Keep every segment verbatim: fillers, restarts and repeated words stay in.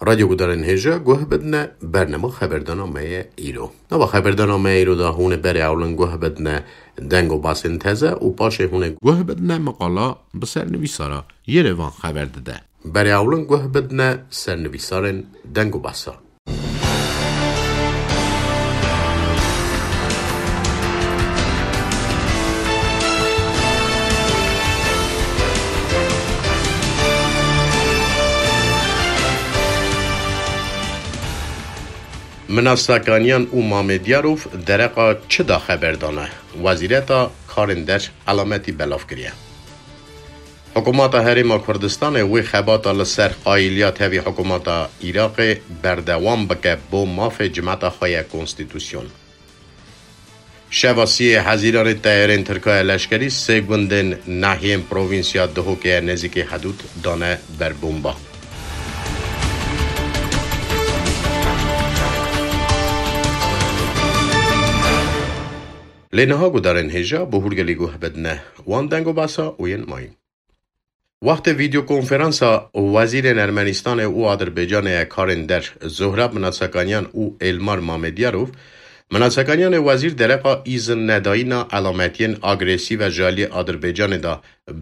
Radyo gudarên hêja guh bidine bernama xeberdana me ye îro. Nava xeberdana me îro da hûn ê berê ewlin guh bidine deng û basên teze û paşê hûn ê guh bidine miqala bi sernivîsara Yerevan xeber dide. Berê ewlin guh bidine sernivîsarên deng û basa. Mina Sakanyan û Mamediyarov dereqa çi da xeber dane? Wezîreta Karên Der elametî belav kiriye. Hikûmeta Herêma Kurdistanê wê xebata li ser qayîliya tevî hikûmeta Iraqê berdewam bike bo mafê cimeta xwe ye konstîtusyon. Şeva siyê Hezîranê teyarên Tirka ya leşkerî sê gundên nahiyên provînsya Duhokê ya nêzîkî hedûd dane ber bomba. Lê niha gudarên hêja bi hûrgilî guh bidine wan deng û basa û yên mayîn. Wextê vîdeokonferansa wezîrên Ermenistanê û Adirbaycanê ya karên der Zohrab Minasakanyan û Elmar Mamediyarov, Minasakanyanê wezîr dereqa îzin nedayîna elametiyên agresîv a ji aliyê Adirbaycanê de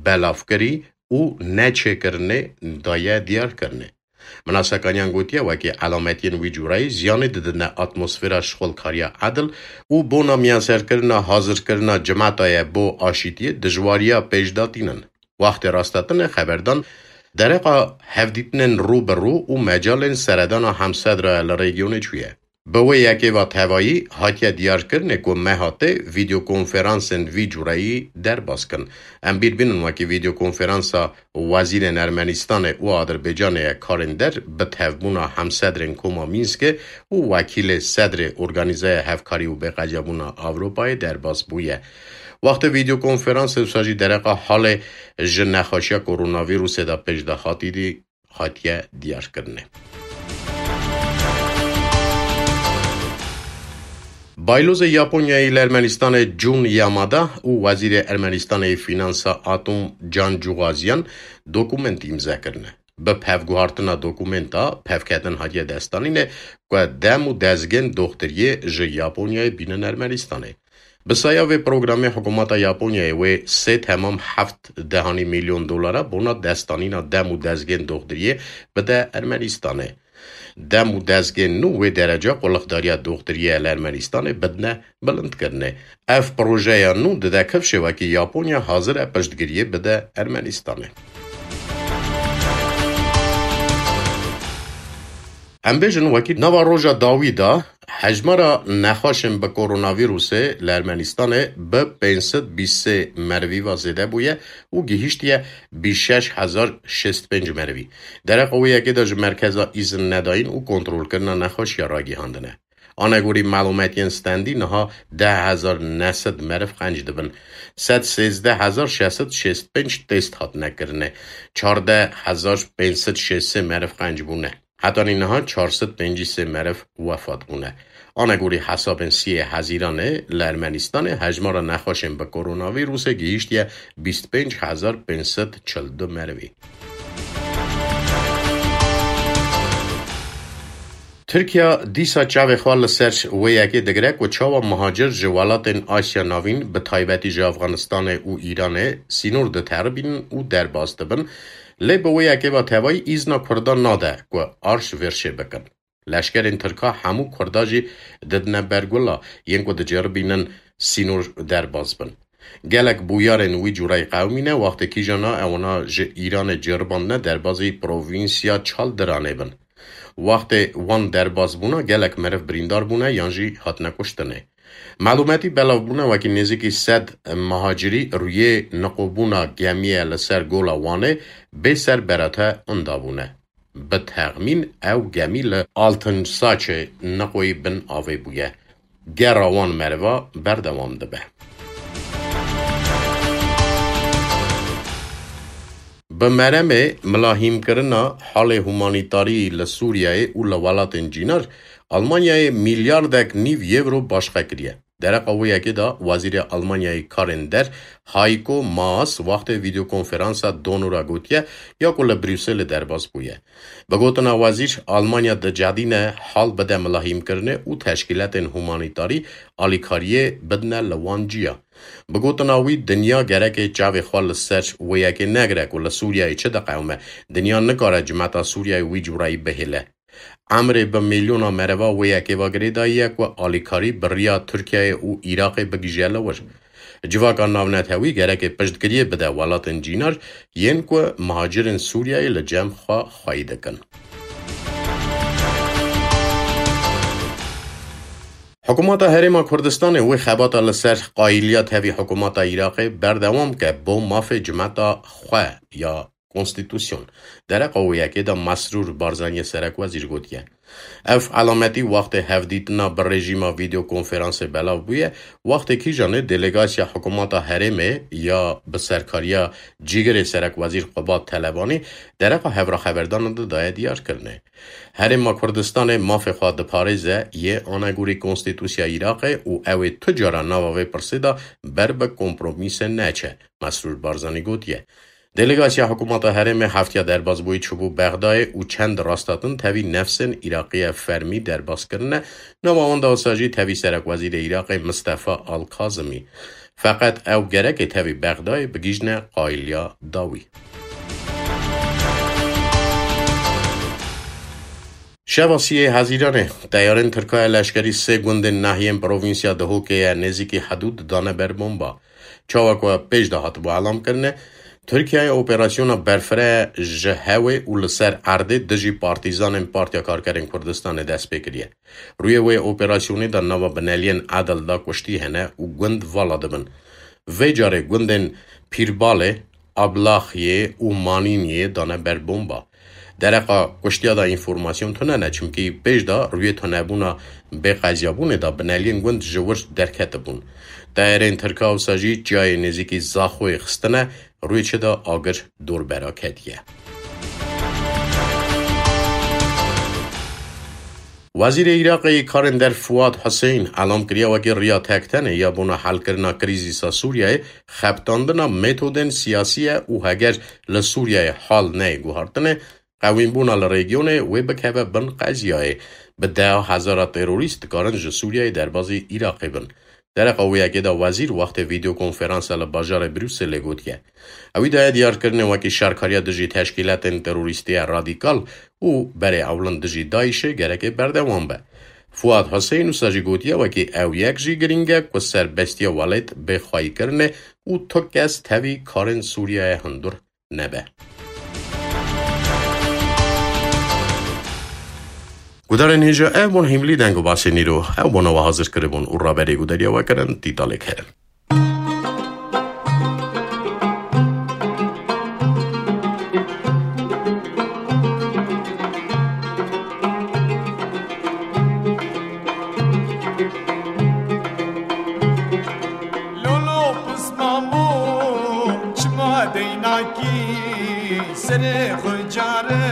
belav kirî û neçêkirinê daye diyarkirinê. Minasakanyan gotiye, wekî elametiyên wî cûrayî ziyanê didine atmosfera şixulkariya edil û bona miyanserkirina hazirkirina cimeta ye bo aşîtiyê dijwariya pêşdatînin. Wextê rastetinê xeberdan dereqa hevdîtinên rû bi rû û mecalên seredana hemsedra li rejyonê çûye. Bi wê yekê ve tevayî hatiye diyarkirinê ku meha tê vîdeokonferansên vî cûreyî derbas kin. Em bîr bînin wekî vîdeokonferansa wezîrên Ermenistanê û Adirbaycanê ya karên der bi tevbûna hemsedrên Koma Mînskê û wekîlê sedrê Organîzeya Hevkarî û Bêqecebûna Ewropayê derbas bûye. Wextê vîdeokonferansê wisa jî dereqa halê ji nexweşiya koronavîrusê de pêş de hatî dî hatiye diyarkirinê. Baylozê Yaponyayê li Ermenistanê Jun Yamada û Wezîrê Ermenistanê yê Fînansa Atom Cancûxaziyan dokument îmze kirine. Bi pevguhartina dokumenta pevketin hatiye destanîne ku dem û dezgên doxtiriyê ji Yaponyayê bînin Ermenistanê. Bi saya vê programê hikûmeta Yaponyayê wê sê temam heft dehanî milyon dolara bona destanîna dem û dezgên doxtiriyê bide Ermenistanê. Dem û dezgên nû wê dereca qulixdariya doxtiriyê li Ermenistanê bidine bilindkirinê. Ev projeya nû dide kifşê wekî Yaponya hazir e piştgiriyê bide Ermenistanê. Em bêjin wekî nava roja dawî de hejmara nexweşên bi koronavîrusê li Ermenistanê bi pênc sed bîst sê merivî ve zêde bûye û gihîştiye bîst şeş hezar şêst pênc merivî. Dereqa wê yekê de ji merkeza îzin nedayîn û kontrolkirina nexweşiya ragihandine. Anegorî malûmetiyên stendî niha deh hezar neh sed meriv qenc dibin. Sed sêzdeh hezar şeş sed şêst pênc test hatine kirine. Çardeh hezar pênc sed şêst sê meriv qenc bûne. Hetanî niha çar sed pêncî sê meriv wefat bûne. Anegorî hesabên siyê Hezîranê li Ermenistanê hejmara nexweşên bi koronavîrusê gihîştiye bîst pênc hezar pênc sed çil du merivî. Tirkiya dîsa çavê xwe li ser wê yekê digire ku çawa muhacir ji welatên Asya Navîn, bi taybetî ji Afganistanê û Îranê, sînor diteribînin û derbas dibin, lê bi wê yekê ve tevayî îzna Kurdan nade ku arş vêrşê bikin. Leşkerên Tirka hemû Kurda jî didine ber gula yên ku diceribînin sînor derbas bin. Gelek bûyerên wî cûrayî qewimîne, wextê kîjana ewana ji Îranê ceribandine derbazî provînsya Çaldiranê bin. Wextê wan derbas bûna gelek meriv birîndar bûne yan jî hatine kuştinê. Malûmetî belav bûne wekî nêzîkî sed muhacirî rûyê niqobûna gemiye li ser gola Wanê bê ser berate inda bûne. Bi texmîn ew gemî li Altinsaçê niqoyî bin avê bûye. Gera wan meriva berdewam dibe. Bi meremê milahîmkirina halê humanîtarî li Sûriyeyê û li welatên cînar, Almanyayê milyardek nîv yewro başqe kiriye. Dereqa wê yekê de Wezîrê Almanyayê Karên Der Heiko Maas wextê vîdeokonferansa Donora gotiye ya ku li Brukselê derbas bûye. Bi gotina wezîr, Almanya dicedîne hal bide milahîmkirinê û teşkîletên humanîtarî alîkariyê bidine li wan ciya. Bi gotina wî, dinya gereke çavê xwe li ser wê yekê negire ku li Sûriyeyê çi diqewime. Dinya nikare cimeta Sûriyeyê wî cureyî bihêle. Emrê bi milyona mereva wê yekê ve girêdayî ye ku alîkarî bi riya Tirkiyeyê û Iraqê bigihîje li wir. Civaka navnetewî gereke piştgiriyê bide welatên cînar yên ku muhacirên Sûriyeyê li cem xwe xweyî dikin. Hikûmeta Herêma Kurdistanê wê xebata li ser qayîliya tevî hikûmeta Iraqê berdewam ke bo mafê cimeta xwe ya konstîtusyon. Dereqa wê yekê de Mesrûr Barzaniyê serekwezîr gotiye. Ev elametî wextê hevdîtina bi rejîma vîdeokonferansê belav bûye, wextê kîjanê delegasiya hikûmeta herêmê ya bi serkariya cîgirê serekwezîr Qubat Telebanî dereqa hevraxeberdanan de daye diyarkirinê. Herêma Kurdistanê mafê xwe diparêze yê anegorî konstîtusya Iraqê û ew ê tu cara nava vê pirsê de ber bi kompromîsê neçe, Mesrûr Barzanî gotiye. Delegasiya hikûmeta herêmê heftiya derbasbûyî çûbû Bexdayê û çend rasthatin tevî nefsên Iraqî ye fermî derbas kirine, nava wan de wisa jî tevî serekwezîrê Iraqê Mistefa Al-Kazimî. Feqet ew gereke tevî Bexdayê bigihîjne qayîliya dawî. Şeva siyê Hezîranê, teyarên Tirka ya leşkerî sê gundên nahiyên provînsya Dihokê ye nêzîkî hedûd dane ber bomba. Çawa ku pêş de hatibû elam kirine, Tirkiyeyê operasyona berfireh ji hewê û li ser erdê dijî partîzanên Partiya Karkerên Kurdistanê dest pê kiriye. Rûyê wê operasyonê de nava bineliyên Edil de kuştî hene û gund vala dibin. Vê carê gundên Pîrbalê, Ablaxiyê û Manîniyê dane ber bomba. Dereqa kuştiya de înformasyon tune ne, çimkî pêş de rûyê tunebûna bêqeziyabûnê de bineliyên gund ji wir derketibûn. Teyarên Tirka wisa jî çiyayê nêzîkî Zaxoyê xistine, rûyê çi de agir dor bera ketiye. Wezîrê Iraqê yê karên der Fuad Huseyîn elam kiriye wekî riya tektenê ya bona helkirina krîzîsa Sûriyeyê xebitandina metodên siyasî ye û heger li Sûriyeyê hal neyê guhartinê, qewînbûna li rejîmê wê bikeve bin qeziyayê. Bi deha hezara terorîst dikarin ji Sûriyeyê derbazî Iraqê bin. Dereqa wê yekê de wezîr wextê vîdeokonferansa li bajarê Brukselê gotiye. Ewî daye diyarkirinê wekî şerkariya dijî teşkîletên terorîstî ya radîkal û berê ewlin dijî DAIŞê gereke berdewam be. Fuad Huseyîn wisa jî gotiye wekî ew yek jî girîng e ku serbestiya welêt bê xweyîkirinê û tu kes tevî karên Sûriyeyê hundir nebe. Gudarên hêja, ev bûn hîmlî deng û basên îro. Ew bona we hazir kiribûn û raberê gudariya we kirin Tîtalê Kerim. Lolo pismamo çima deynakî serê xwe care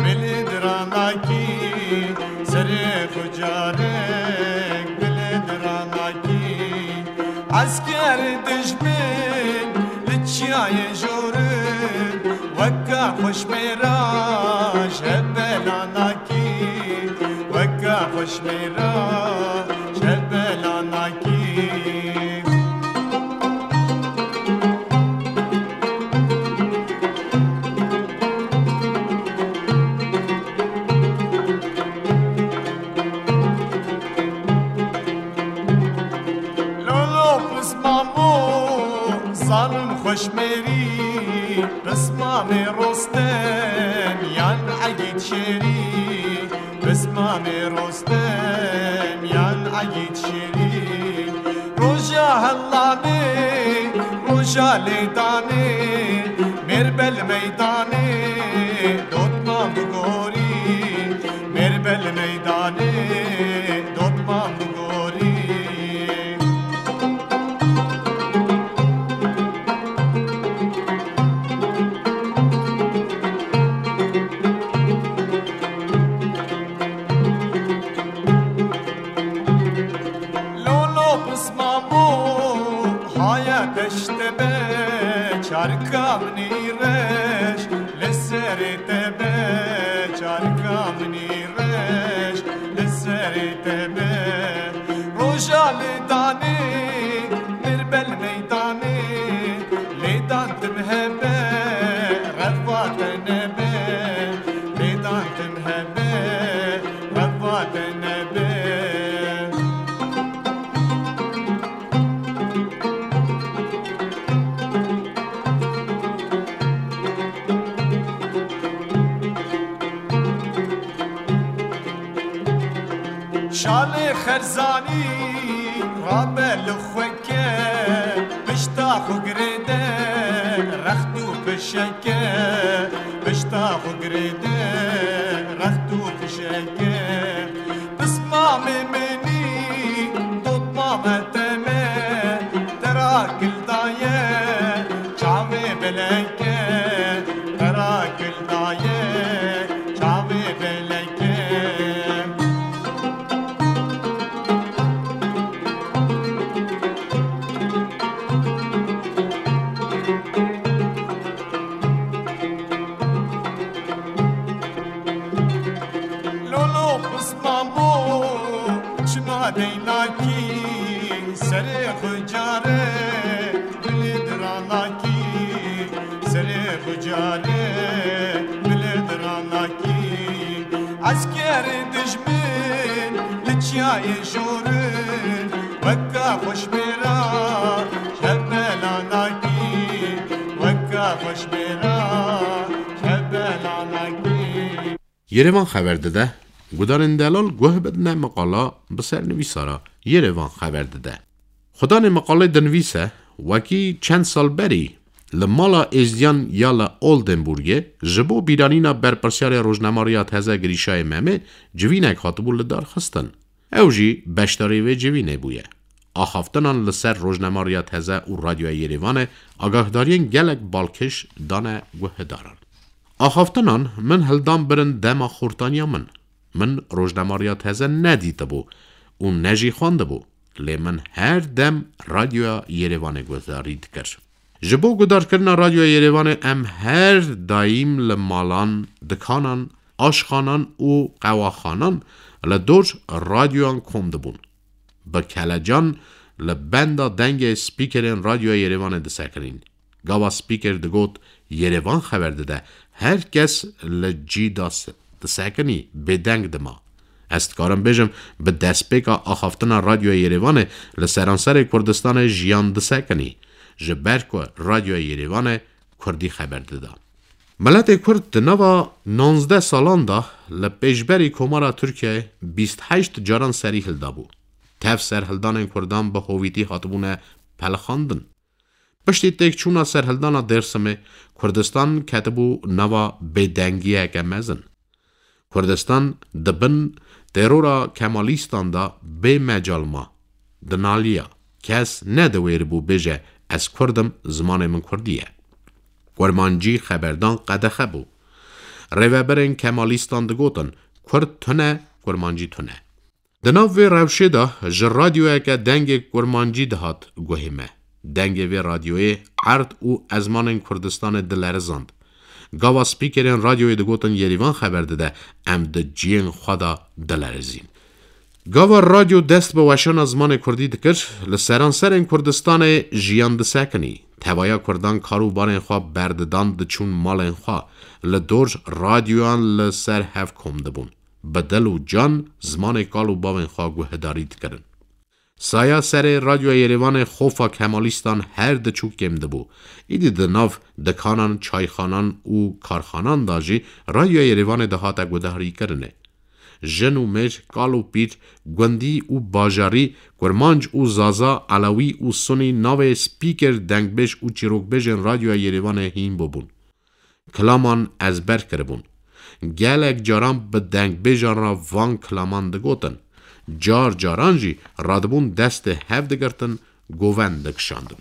bilind ranakî, serê xwe care bilind ranakî. Esker dijmin li çiyayê jorin weka xweşmêra şebelanakî, weka xweşmêra şebelanakî. Lolo pismamo zalim xweşmêrî, pismamê Rostem yan Egîd Şêrî, pismamê Rostem yan Egîd Şêrî. Roja helanê, roja lêdanê, mêr bel meydanê, dotman bigorî, mêr bel meydanê, dotman bigorî. Lolo Çarka minî reş li serê te be, çarka minî reş li serê te be. Roja lêdanê, mirbel meydanê, lêdan tim hebe, refa te nebe, lêdan tim hebe, refa te nebe. Şalê Xerzanî rabe li xwe ke, pişta xwe girêde rext û pişeke, pişta xwe girêde rext û pişeke. Pismamê minî, dotmame te me, te ra kil daye, çavê beleke, te ra kil daye, çavê beleke. Lolo pismamo, çima deynakî, serê xwe care bilê diranakî, serê xwe care bilê diranakî. Eskerê dijmin li çiyayê jorin, weka xweşbêra şebelanakî, weka xweşbêra şebelanakî. Yerevan xeber dide, gudarên delal guh bidine meqala bi sernivîsara Yerevan xeber dide. Xudanê meqalê dinivîse, wekî çend sal berî li mala êzdiyan ya li Oldenburgê ji bo bîranîna berpirsiyarê rojnamariya teze Girîşayê Memê civînek hatibû lidarxistin. Ew jî beşdarî vê civînê bûye. Axaftinan li ser rojnamariya teze û Radyoya Yerêvanê agahdariyên gelek balkêş dane guhdaran. Axaftinan min hildan birin dema xortaniya min. Min rojnamariya teze nedîtibû û ne jî xwendibû, lê min her dem Radyoya Yerêvanê guhdarî dikir. Ji bo guhdarkirina Radyoya Yerêvanê em her daîm li malan, dikanan, aşxanan û qewaxanan li dor radyoyan kom dibûn. Bi kelecan li benda dengê spîkerên Radyoya Yerêvanê disekinîn. Gava spîker digot, Yerevan xeber dide, her kes li cî de se-, disekinî, bêdeng dima. Ez dikarim bêjim, bi destpêka axaftina Radyoya Yerêvanê li seranserê Kurdistanê jiyan disekinî, ji ber ku Radyoya Yerêvanê Kurdî xeber dida. Miletê Kurd di nava nonzdeh salan de li pêşberî Komara Tirkiyeyê bîst heşt caran serî hildabû. Tev serhildanên Kurdan bi hovîtî hatibûne pelixandin. Piştî têkçûna serhildana Dêrsimê, Kurdistan ketibû nava bêdengiyeke mezin. Kurdistan di bin terora Kemalîstan de bê mecal ma. Dinaliya. Kes nediwêribû bêje, Ez Kurd im, zimanê min Kurdî ye. Kurmancî xeberdan qedexe bû. Rêveberên Kemalîstan digotin, Kurd tune, Kurmancî tune. Di nav vê rewşê de ji radyoyeke dengê kurmancî dihat guhê me. Dengê vê radyoyê erd û ezmanên Kurdistanê dilerizand. Gava spîkerên radyoyê digotin Yerîvan xeber dide, em di ciyên xwe de dilerizîn. Gava radyo dest bi weşana zimanê kurdî dikir, li seranserên Kurdistanê jiyan disekinî. Tevaya kurdan kar û barên xwe berdidan diçûn malên xwe, li dor radyoyan li ser hev kom dibûn. Bi dil û can zimanê kal û bavên xwe guhdarî dikirin. Saya serê Radyoya Yerêvanê xofa Kemalîstan her diçû kêm dibû. Îdî di nav dikanan, çayxanan û karxanan de jî Radyoya Yerêvanê dihate guhdarîkirinê. Jin û mêr, kal û pîr, gundî û bajarî, kurmanc û zaza, elewî û sunî navê spîker, dengbêj û çîrokbêjên Radyoya Yerêvanê hîn bûbûn. Kilaman ezber kiribûn. Gelek caran bi dengbêjan re van kilaman digotin. Car caran jî radibûn destê hev digirtin, govend dikişandin.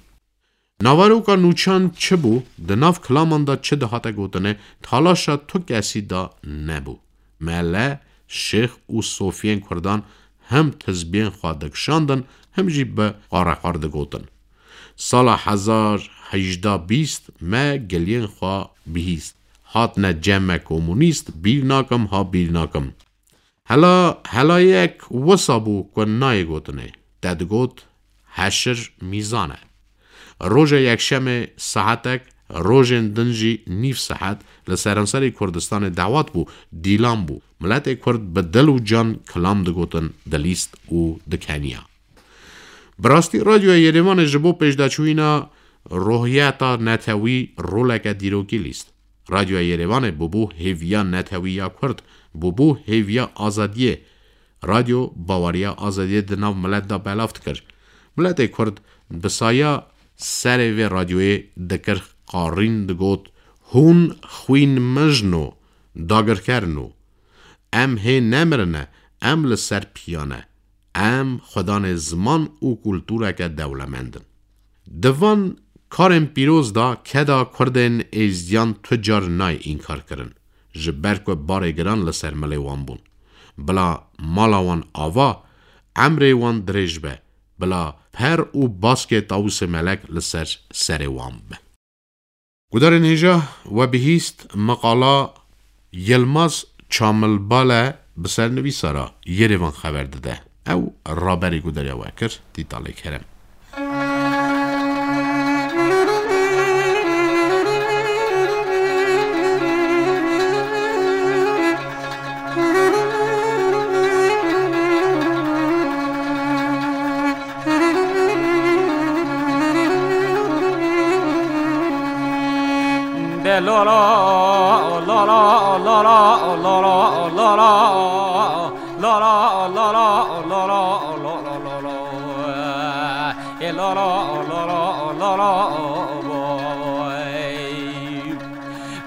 Naveroka nûçan çi bû, di nav kilaman de çi dihate gotinê, talaşa tu kesî de nebû. Mele, şêx û sofiyên kurdan him tizbiyên xwe dikişandin, him jî bi qareqar digotin. Sala hezar hejda bîst me geliyên xwe bihîst. Hatine cem me komûnîst, bîr nakim, ha bîr nakim. Hela, helayek wisa bû ku nayê gotinê. Te digot, heşir mîzan e. Roja yekşemê saetek, rojên din jî nîv saet li seranserê Kurdistanê dawet bû, dîlan bû. Miletê Kurd bi dil û can kilam digotin, dilîst û dikeniya. Bi rastî Radyoya Yerêvanê ji bo pêşdaçûyîna ruhiyeta netewî roleke dîrokî lîst. Radyoya Yerêvanê bûbû hêviya netewî ya Kurd, bûbû hêviya azadiyê. Radyo baweriya azadiyê di nav milet de belav dikir. Miletê Kurd bi saya serê vê radyoyê dikir qarîn, digot, hûn xwîn min jin o, dagirker in o. Em hê nemirine, em li ser piya ne. Em xwedanê ziman û kultureke dewlemend in. Di van karên pîroz de keda Kurdên êzdiyan tu car nayê înkar kirin, ji ber ku barê giran li ser milê wan bûn. Bila mala wan ava, emrê wan dirêj be, bila per û baskê Tawusê Melek li ser serê wan be. Gudarên hêja, we bihîst meqala Yilmaz Çamilbale bi sernivîsa re Yerevan xeber dide. Ew raberî gudariya we kir, Dîtalê Kerem.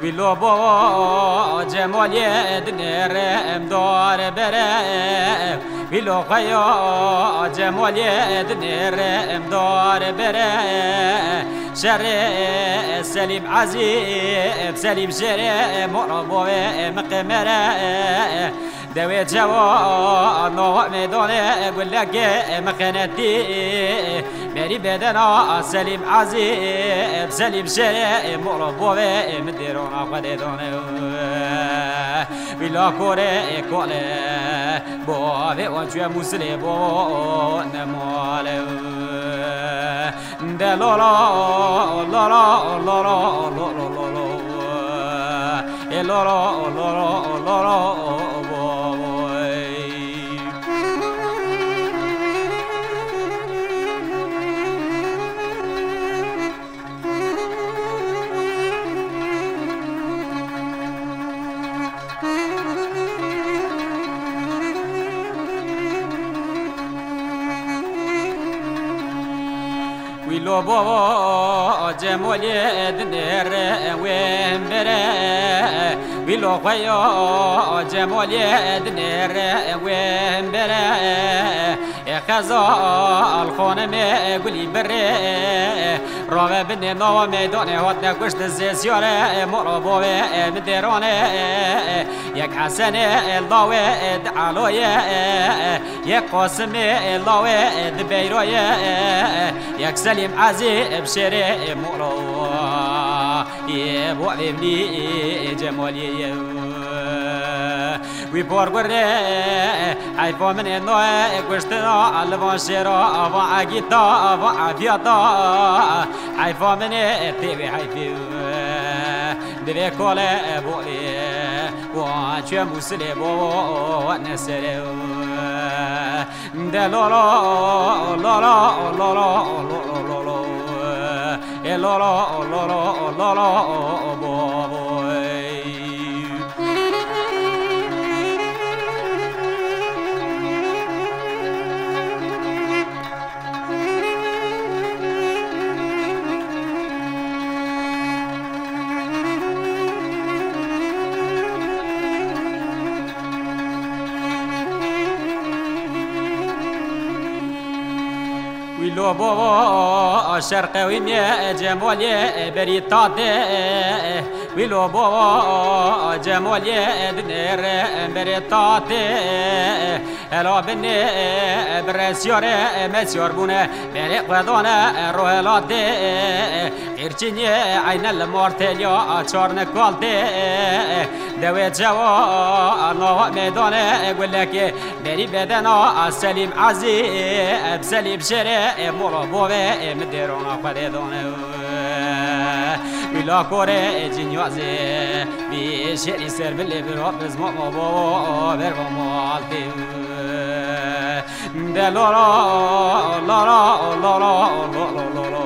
Wî lo bo Cemalê dinêre em dare bere. Wî lo xeya Cemalê dinêre em dare bere. Şerê Selîm Ezî, Selîm Şerê, mora bo ve miqemere. Dewê çewa nava meydane guleke mixenetî. Berî bedena Selîm Ezî, Selîm Şerê, mora bo ve min dêrona xwe dê dane. Wî la korê kole, bo ve wan çûye Mûsilê bo nemale. De lo lo, lo lo, lo lo, lo lo, lo lo. E lo lo, lo lo, lo lo, bo, bo, e. Wî lo bo Cemolê dinêre wê bere. Wî lo xwe yo Cemolê dinêre wê bere. Ê xezal xonimê gulî birê. Rave binê nava meydanê hatine kuştin sê siyare. Moro bo wê min dêrane. Yek Hesenê el dawê di aloyê. Yek Qasimê lawê di beyroyê, yek Selîm Ezî bi şêrê moro. Yê bo evlî Cemaliyê ye. Wî por gurê, heyfa min ê noyê kuştina, li van şêra, van egîta, van efiyata. Heyfa min ê tê wê heyfê. Divê kole bolê. Wa çe Musilê bo ne sere. De lo lo, lo lo, lo lo, lo lo, lo lo. E lo lo, lo lo, lo lo, bo, bo. Wî lo bo şerqe wî mê Cemalê berî tate. Wîlo bo Cemalê dinêre berê tatê, hela binê bi resyarê mesyar bûne, berê xwedane rohelatê, qîrçînê eyne li martêliya çarne kaltê, dewê çewa nava meydanê gulekê, berî bedena Selîm Ezî, Selîm Şêrê, mola bavê min dêrana xwedê dane. Wîla korê cinyazê, bî şêrî ser bilê bira bizma ma bava ber va mal tê. De la la, la la, la la, la la, la la.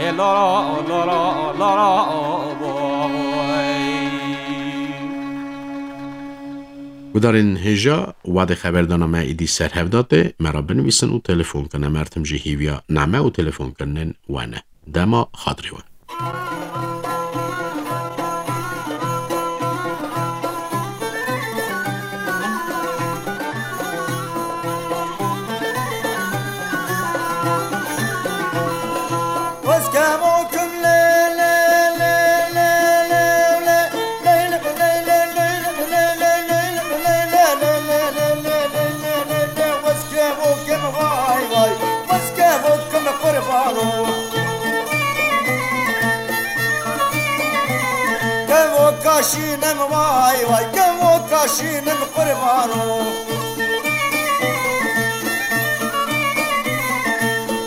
E la la, la la, la la, boy. Gudarên hêja, wadê xeberdana me îdî ser hev datê, me re binivîsin û telefon kine. Mertim jî hîviya name û telefonkirinên we ne. Dema xatirê we. Kevoka şînim vay vay, kevoka şînim qurbano.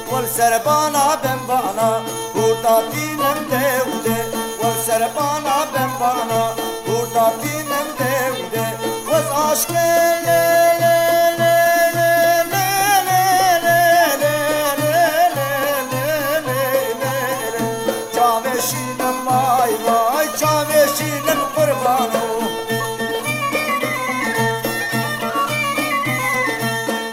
Wal serbana ben bana, hurda tînim dewde. Wal serbana ben bana, hurda tînim dewde. Wez aşkê le le le le le le le le le le le le le. Çavê şînim vay vay, çavê şînim qurbano.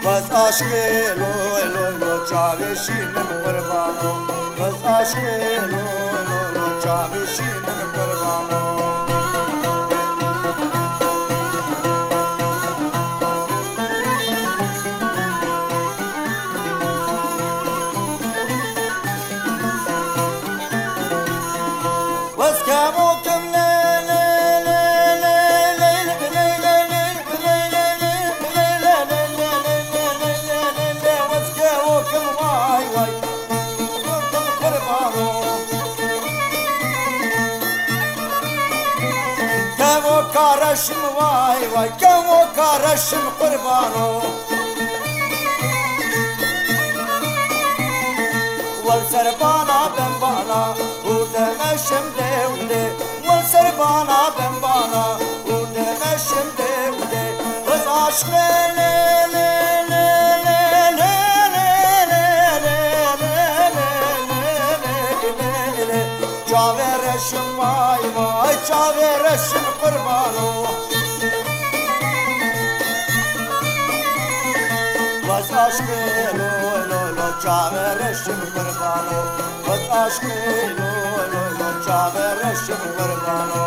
Bes aşkê loy loy loy, çavê şînim qurbano. Bes aşkê loy loy loy, çavê şînim qurbano. Kevoka reşim vay vay, kevoka reşim qurbano. Wal serbana ben bana, hûrde meşim dewde. Wal serbana ben bana, hûrde meşim dewde. Wez aşkê le le le le le le le le le le le le le. Çavê reşim vay vay, çavê reşim qurbano. Bes aşkê lo lo lo, çavê reşim qurbano. Bes aşkê lo lo lo, çavê reşim qurbano.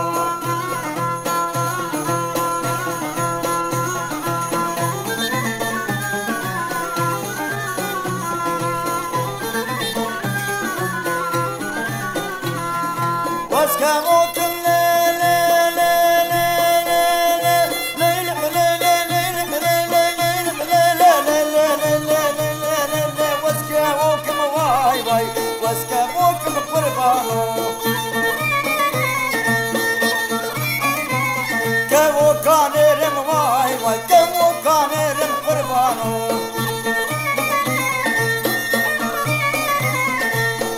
Wez kevokim le le le le le le. Wez kevokim vay vay, wez kevokim qurbano. Kevoka nêrim vay vay, kevoka nêrim qurbano.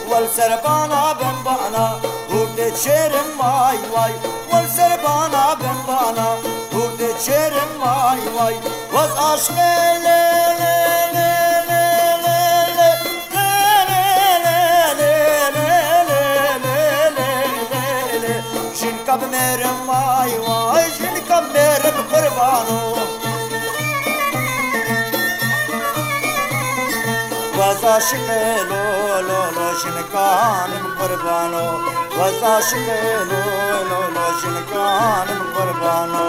Wal serbana ben bana, hûrdê çêrim vay vay. Wal serbana ben bana, hûrdê çêrim vay vay. Wez aşkê le le le le le le. Jinka bi mêrim vay vay, jinka bi mêrim qurbano. Wez aşiqê lo lo lo, jinkanim qurbano. Wez aşiqê lo lo lo, jinkanim qurbano.